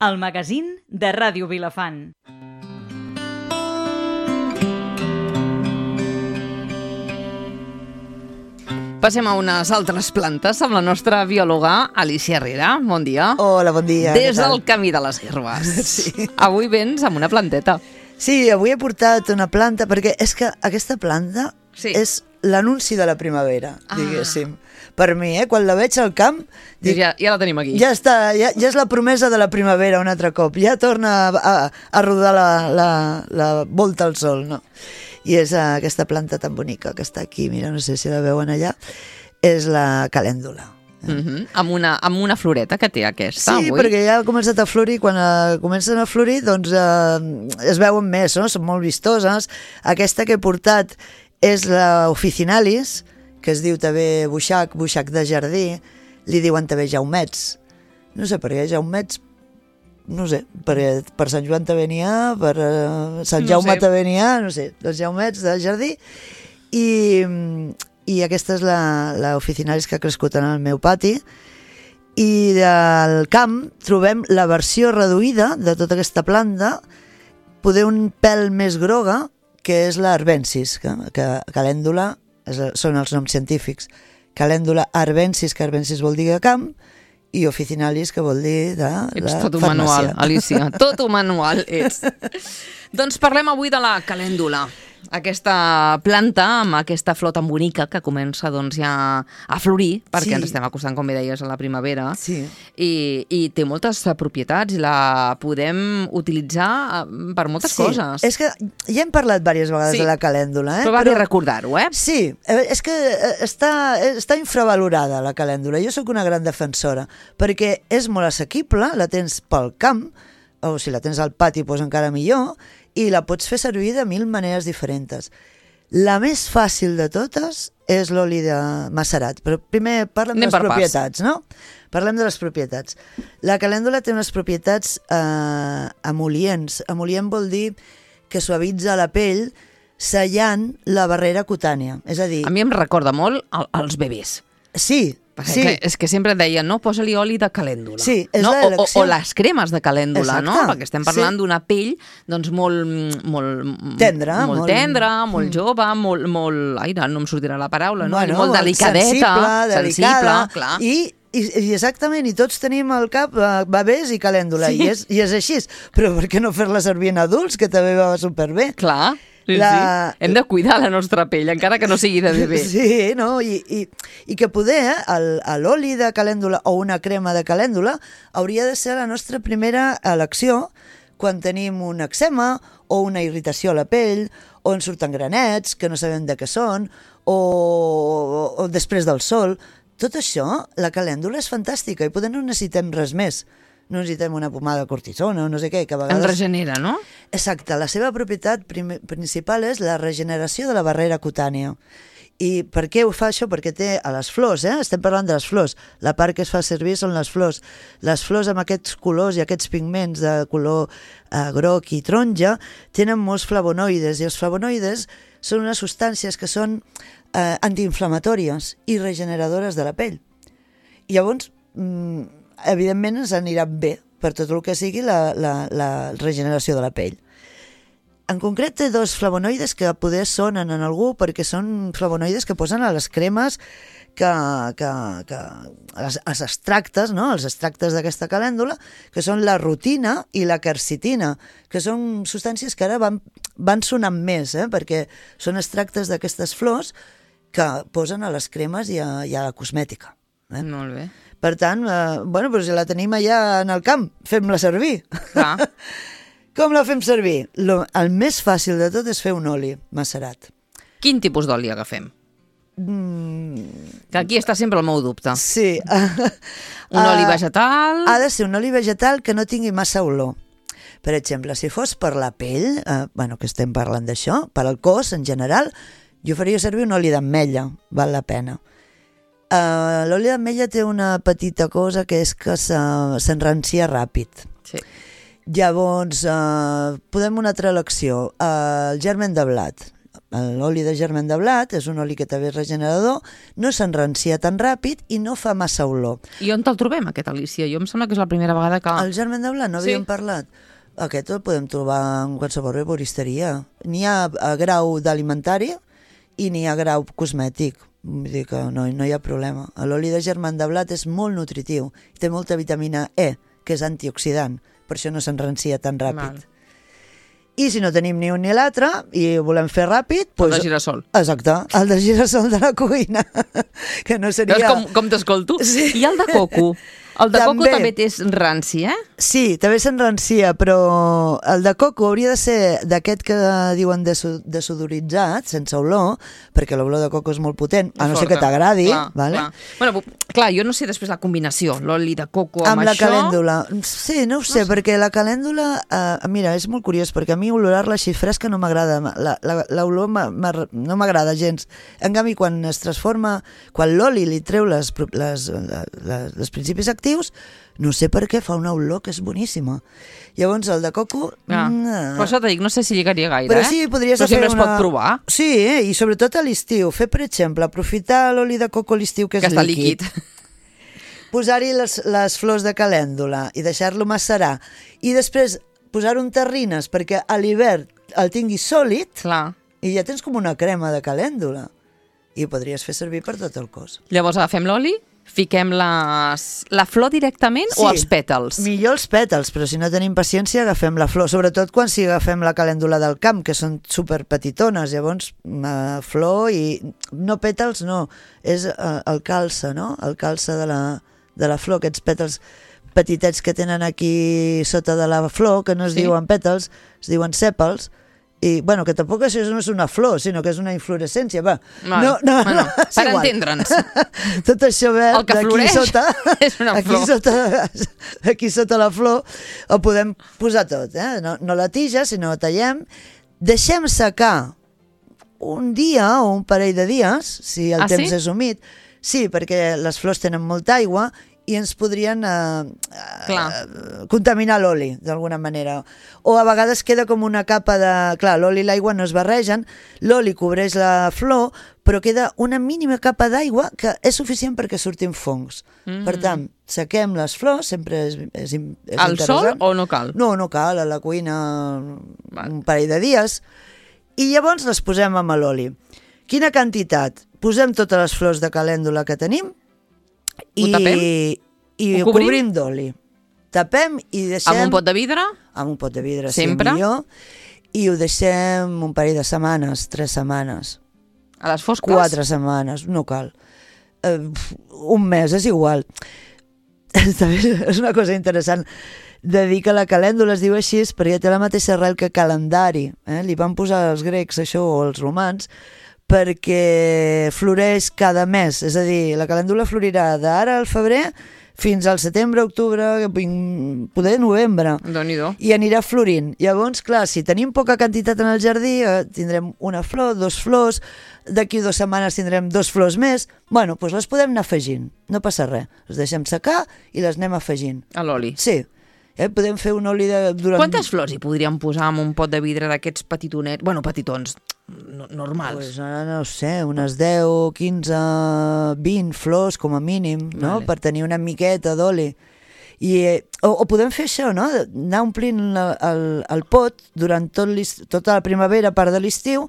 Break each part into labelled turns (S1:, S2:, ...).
S1: el magazín de Ràdio Vilafant.
S2: Passem a unes altres plantes amb la nostra biòloga Alicia Herrera. Bon dia.
S3: Hola, bon dia.
S2: Des del camí de les herbes.
S3: Sí.
S2: Avui vens amb una planteta.
S3: Sí, avui he portat una planta, perquè és que aquesta planta és l'anunci de la primavera, diguéssim. Per mi, quan la veig al camp...
S2: Dic, ja la tenim aquí.
S3: Ja està, ja és la promesa de la primavera un altre cop. Ja torna a rodar la volta al sol, no? I és aquesta planta tan bonica que està aquí, mira, no sé si la veuen allà, és la calèndula.
S2: Amb una floreta que té aquesta,
S3: sí,
S2: avui.
S3: perquè ja ha començat a florir. Quan comencen a florir, doncs es veuen més, no? Són molt vistoses. Aquesta que he portat és la officinalis, que es diu també buixac de jardí, li diuen també jaumets. No sé per què jaumets, no sé, perquè per Sant Joan també n'hi ha, per Sant Jaume també n'hi ha, no sé, els jaumets de jardí. I aquesta és la officinalis que ha crescut en el meu pati. I del camp trobem la versió reduïda de tota aquesta planta, poder un pèl més groga, que és l'arbensis, que calèndula són els noms científics. Calèndula arbensis, que arbensis vol dir de camp, i officinalis, que vol dir de
S2: ets
S3: farmàcia.
S2: tot un manual, Alicia, tot un manual ets. Doncs parlem avui de la calèndula, aquesta planta amb aquesta flor tan bonica que comença doncs, ja a florir, perquè ens estem acostant, com bé deies, a la primavera, i té moltes propietats i la podem utilitzar per moltes coses.
S3: És que ja hem parlat diverses vegades de la calèndula.
S2: Però va bé recordar-ho, eh?
S3: Sí, és que està infravalorada la calèndula. Jo sóc una gran defensora, perquè és molt assequible, la tens pel camp, o si la tens al pati, doncs encara millor, i la pots fer servir de 1000 maneres diferents. La més fàcil de totes és l'oli de macerat, però primer parlem de les propietats, no? Parlem de les propietats. La calèndula té unes propietats emol·lients. Emol·lient vol dir que suavitza la pell sellant la barrera cutània. És a dir...
S2: A mi em recorda molt als bebès.
S3: Sí,
S2: sí. És que sempre deien, no, posa-li oli de calèndula.
S3: Sí, és
S2: no?
S3: l'elecció.
S2: O les cremes de calèndula,
S3: exacte,
S2: no? Perquè estem parlant d'una pell doncs molt
S3: tendra,
S2: molt jove, molt... Ai, no em sortirà la paraula, no?
S3: Bueno,
S2: molt delicadeta,
S3: sensible,
S2: clar.
S3: I exactament, i tots tenim al cap bebès i calèndula, i és així. Però per què no fer-la servir en adults, que també va superbé?
S2: Clar. Sí. Hem de cuidar la nostra pell, encara que no sigui de bebè.
S3: Sí, no? I que poder l'oli de calèndula o una crema de calèndula hauria de ser la nostra primera elecció quan tenim un eczema o una irritació a la pell, o ens surten granets que no sabem de què són, o després del sol. Tot això, la calèndula és fantàstica i poder no necessitem res més. No necessitem una pomada de cortisona o no sé què, que a vegades...
S2: En regenera, no?
S3: Exacte, la seva propietat principal és la regeneració de la barrera cutània. I per què ho fa això? Perquè té a les flors, estem parlant de les flors, la part que es fa servir són les flors. Les flors amb aquests colors i aquests pigments de color groc i taronja tenen molts flavonoides, i els flavonoides són unes substàncies que són antiinflamatòries i regeneradores de la pell. I llavors... evidentment ens anirà bé per tot el que sigui la regeneració de la pell. En concret té 2 flavonoides que poder sonen en algú, perquè són flavonoides que posen a les cremes, els extractes, no? Els extractes d'aquesta calèndula, que són la rutina i la quercetina, que són substàncies que ara van sonant més, perquè són extractes d'aquestes flors que posen a les cremes i a la cosmètica.
S2: Molt bé.
S3: Per tant, doncs la tenim allà en el camp, fem-la servir. Com la fem servir? El més fàcil de tot és fer un oli macerat.
S2: Quin tipus d'oli agafem? Que aquí està sempre el meu dubte.
S3: Sí.
S2: Un oli vegetal...
S3: Ha de ser un oli vegetal que no tingui massa olor. Per exemple, si fos per la pell, que estem parlant d'això, per al cos en general, jo faria servir un oli d'ametlla, val la pena. L'oli d'ametlla té una petita cosa que és que s'enrancia ràpid.
S2: Sí.
S3: Llavors, podem una altra elecció, el germen de blat. l'oli de germen de blat és un oli que també és regenerador, no s'enrancia tan ràpid i no fa massa olor.
S2: I on te'l trobem, aquest, Alicia? Jo em sembla que és la primera vegada que...
S3: El germen de blat, no havíem parlat? Aquest el podem trobar en qualsevol herboristeria. N'hi ha a grau d'alimentari i n'hi ha a grau cosmètic. Vull dir que no hi ha problema. L'oli de germen de blat és molt nutritiu. Té molta vitamina E, que és antioxidant. Per això no s'enrancia tan ràpid. I si no tenim ni un ni l'altre i ho volem fer ràpid...
S2: El de girassol.
S3: Exacte, el de girassol de la cuina. Que no seria...
S2: Veus com t'escolto?
S3: Sí.
S2: I el de coco? El de coco també té ranci, eh?
S3: Sí, també s'enrancia, però el de coco hauria de ser d'aquest que diuen desodoritzat, sense olor, perquè l'olor de coco és molt potent, a no ser que t'agradi. Vale?
S2: Bueno, clar, jo no sé després la combinació, l'oli de coco amb
S3: la
S2: això...
S3: calèndula. Sí, no ho sé, perquè la calèndula... mira, és molt curiós, perquè a mi olorar-la així fresca no m'agrada. L'olor no m'agrada gens. En canvi, quan es transforma, quan l'oli li treu els principis actius, no sé per què fa una olor que és boníssima. Llavors el de coco...
S2: Per això t'ho dic, no sé si lligaria gaire,
S3: però sí, podries
S2: però sempre es pot provar.
S3: Sí, i sobretot a l'estiu. Fer, per exemple, aprofitar l'oli de coco a l'estiu que és líquid. Posar-hi les flors de calèndula i deixar-lo macerar. I després posar-ho en terrines perquè a l'hivern el tinguis sòlid.
S2: Clar.
S3: I ja tens com una crema de calèndula. I ho podries fer servir per tot el cos.
S2: Llavors agafem l'oli, fiquem la flor directament o els pètals?
S3: Millor els pètals, però si no tenim paciència agafem la flor, sobretot quan si agafem la calèndula del camp, que són superpetitones, llavors flor i... no pètals, no, és el calze, no? El calze de la flor, aquests pètals petitets que tenen aquí sota de la flor, que no es diuen pètals, es diuen sèpals, i, bueno, que tampoc això no és una flor, sinó que és una inflorescència, va.
S2: No, per entendre'ns.
S3: Tot això verd d'aquí sota,
S2: és una flor.
S3: Aquí sota la flor, ho podem posar tot, eh? No la tija, sinó tallem, deixem secar un dia o un parell de dies, si el temps és humit. Sí, perquè les flors tenen molta aigua i ens podrien contaminar l'oli, d'alguna manera. O a vegades queda com una capa de... Clar, l'oli i l'aigua no es barregen, l'oli cobreix la flor, però queda una mínima capa d'aigua que és suficient perquè surtin fongs. Per tant, sequem les flors, sempre és interessant.
S2: Al sol o no cal?
S3: No cal, a la cuina un parell de dies. I llavors les posem amb l'oli. Quina quantitat? Posem totes les flors de calèndula que tenim, i ho cobrim d'oli. Tapem i deixem...
S2: Amb un pot de vidre?
S3: Amb un pot de vidre,
S2: sempre?
S3: Sí, millor. I ho deixem un parell de setmanes, 3 setmanes.
S2: A les fosques?
S3: 4 setmanes, no cal. Un mes, és igual. És una cosa interessant de dir que la calèndula es diu així perquè té la mateixa arrel que calendari. Li van posar els grecs això, o els romans, perquè floreix cada mes, és a dir, la calèndula florirà d'ara al febrer fins al setembre, octubre, poder novembre.
S2: Déu-n'hi-do.
S3: I anirà florint. Llavors, clar, si tenim poca quantitat en el jardí, tindrem una flor, 2 flors, d'aquí 2 setmanes tindrem 2 flors més. Bueno, doncs les podem anar afegint, no passa res. Les deixem secar i les anem afegint.
S2: A l'oli?
S3: Sí. Podem fer un oli durant...
S2: Quantes flors hi podríem posar en un pot de vidre d'aquests petitonets? Bueno, petitons, normals.
S3: Pues ara no ho sé, unes 10, 15, 20 flors com a mínim, no? Per tenir una miqueta d'oli. O podem fer això, no? Anar omplint el pot durant tota la primavera, part de l'estiu,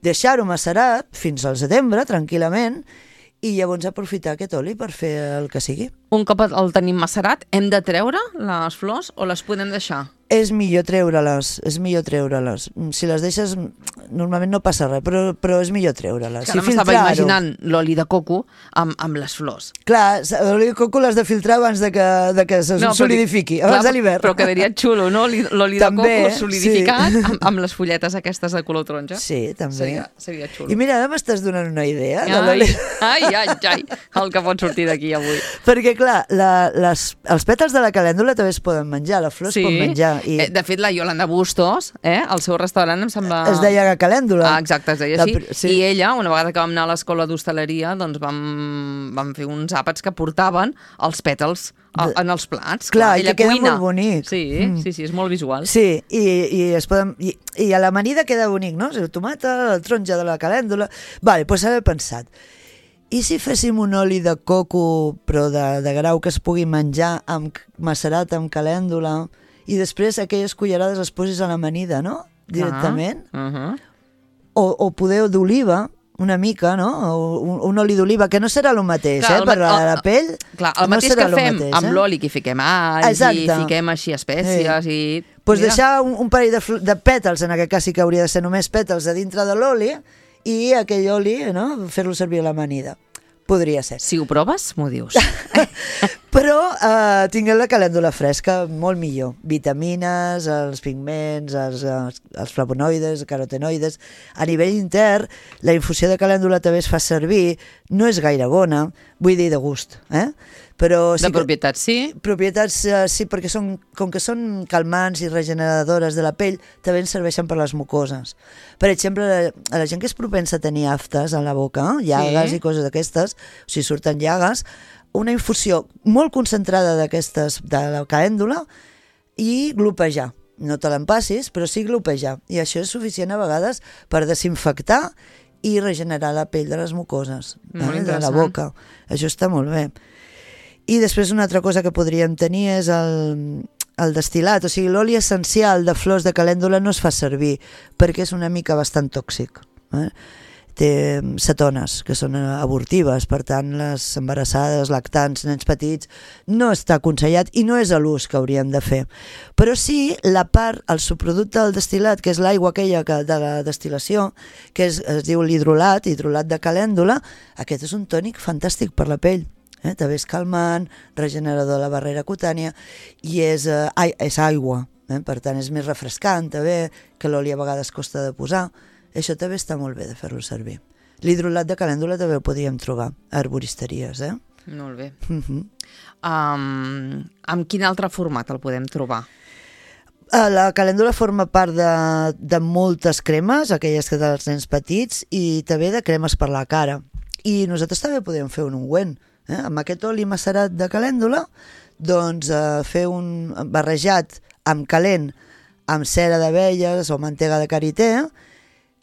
S3: deixar-ho macerat fins al setembre, tranquil·lament, i llavors aprofitar aquest oli per fer el que sigui.
S2: Un cop el tenim macerat, hem de treure les flors o les podem deixar?
S3: És millor treure-les, Si les deixes, normalment no passa res, però és millor treure-les.
S2: Ara m'estava imaginant l'oli de coco amb les flors.
S3: Clar, l'oli de coco l'has de filtrar abans de que se solidifiqui, abans de l'hivern.
S2: Però quedaria xulo, no? L'oli de coco solidificat amb les fulletes aquestes de color taronja.
S3: Sí, també.
S2: Seria xulo.
S3: I mira, ara m'estàs donant una idea.
S2: Ai, el que pot sortir d'aquí avui.
S3: Perquè, clar, els pètals de la calèndula també es poden menjar, la flor es pot menjar.
S2: De fet, la Yolanda Bustos, al seu restaurant, em sembla...
S3: Es deia calèndula.
S2: Exacte, es deia així.
S3: Sí.
S2: I ella, una vegada que vam anar a l'escola d'hostaleria, doncs vam fer uns àpats que portaven els pètals en els plats.
S3: Clar, i
S2: ella
S3: que queda
S2: cuina.
S3: molt bonic.
S2: Sí, és molt visual.
S3: Sí, i a l'amanida queda bonic, no? El tomata, la taronja de la calèndula... Vale, doncs ara he pensat, i si féssim un oli de coco, però de grau que es pugui menjar macerat amb calèndula, i després aquelles cullerades les posis a l'amanida, no? Directament. O poder d'oliva, una mica, no? Un oli d'oliva, que no serà el mateix,
S2: clar,
S3: per a la pell.
S2: Clar, el mateix que fem amb l'oli, que hi fiquem alls i fiquem així espècies i...
S3: Doncs deixar un parell de pètals, en aquest cas sí que hauria de ser només pètals a dintre de l'oli, i aquell oli, no? Fer-lo servir a l'amanida. Podria ser.
S2: Si ho proves, m'ho dius.
S3: Però tinguem la calèndula fresca, molt millor. Vitamines, els pigments, els flavonoides, carotenoides. A nivell intern, la infusió de calèndula també es fa servir, no és gaire bona, vull dir de gust, però sí
S2: de propietats, sí?
S3: Propietats, sí, perquè com que són calmants i regeneradores de la pell, també ens serveixen per les mucoses. Per exemple, a la gent que és propensa a tenir aftes a la boca, llagues i coses d'aquestes, o sigui, surten llagues, una infusió molt concentrada d'aquestes, de la calèndula, i glopejar. No te l'empassis, però sí glopejar. I això és suficient a vegades per desinfectar i regenerar la pell de les mucoses, de la boca. Això està molt bé. I després una altra cosa que podríem tenir és el destil·lat, o sigui, l'oli essencial de flors de calèndula no es fa servir perquè és una mica bastant tòxic. Té cetones, que són abortives, per tant, les embarassades, lactants, nens petits, no està aconsellat i no és l'ús que hauríem de fer. Però sí, la part, el subproducte del destil·lat, que és l'aigua aquella de la destil·lació, que es diu l'hidrolat de calèndula, aquest és un tònic fantàstic per la pell. També és calmant, regenerador de la barrera cutània i és aigua, per tant és més refrescant també, que l'oli a vegades costa de posar. Això també està molt bé de fer-lo servir. L'hidrolat de calèndula també ho podríem trobar a herboristeries.
S2: Molt bé. Amb quin altre format el podem trobar?
S3: La calèndula forma part de moltes cremes, aquelles que dels nens petits, i també de cremes per la cara. I nosaltres també podem fer un ungüent. Amb aquest oli macerat de calèndula, doncs fer un barrejat amb calent, amb cera d'abelles o mantega de karité,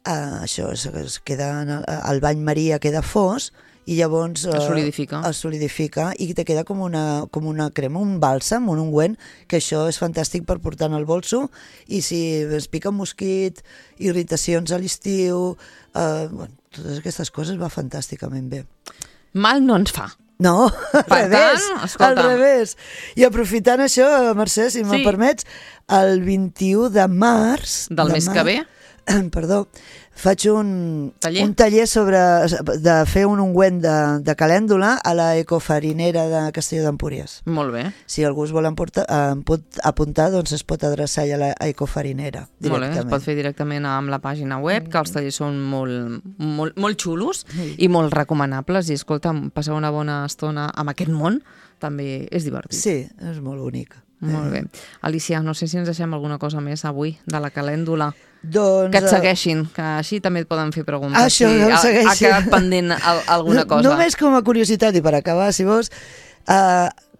S3: això es queda, el bany maria queda fos i llavors es solidifica i te queda com una crema, un bàlsam, un ungüent, que això és fantàstic per portar en el bolso, i si es pica un mosquit, irritacions a l'estiu, totes aquestes coses va fantàsticament bé.
S2: Mal no ens fa.
S3: No, al revés. I aprofitant això, Mercè, si me'n permets, el 21 de març...
S2: Del mes que ve?
S3: Perdó, faig un taller de fer un ungüent de calèndula a la Ecofarinera de Castelló d'Empúries.
S2: Molt bé.
S3: Si algú es vol apuntar, doncs es pot adreçar a la Ecofarinera directament.
S2: Molt bé, es pot fer directament amb la pàgina web, que els tallers són molt xulos i molt recomanables, i escolta, passar una bona estona amb aquest món també és divertit.
S3: Sí, és molt bonic.
S2: Molt bé. Alicia, no sé si ens deixem alguna cosa més avui de la calèndula.
S3: Doncs,
S2: que et segueixin, que així també et poden fer preguntes.
S3: Això,
S2: si
S3: que segueixin.
S2: Ha quedat pendent alguna cosa.
S3: Només com a curiositat, i per acabar, si vols,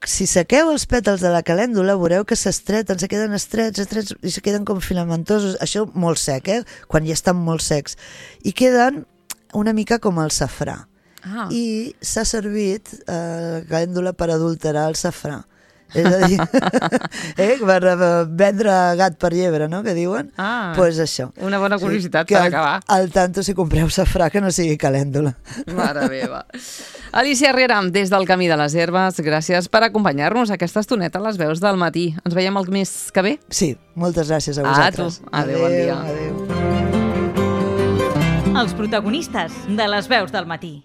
S3: si sequeu els pètals de la calèndula, veureu que s'estreten, se queden estrets, i se queden com filamentosos. Això molt sec, quan ja estan molt secs. I queden una mica com el safrà. I s'ha servit la calèndula per adulterar el safrà. És a dir, per vendre gat per llebre, no?, que diuen. Doncs això.
S2: Una bona curiositat per acabar.
S3: Al tanto, si compreu safrà, que no sigui calèndula.
S2: Mare meva. Alicia Herrera, des del Camí de les Herbes, gràcies per acompanyar-nos aquesta estoneta a les veus del matí. Ens veiem el mes que ve?
S3: Sí, moltes gràcies a vosaltres.
S2: Adéu, bon dia.
S3: Adéu.
S1: Els protagonistes de les veus del matí.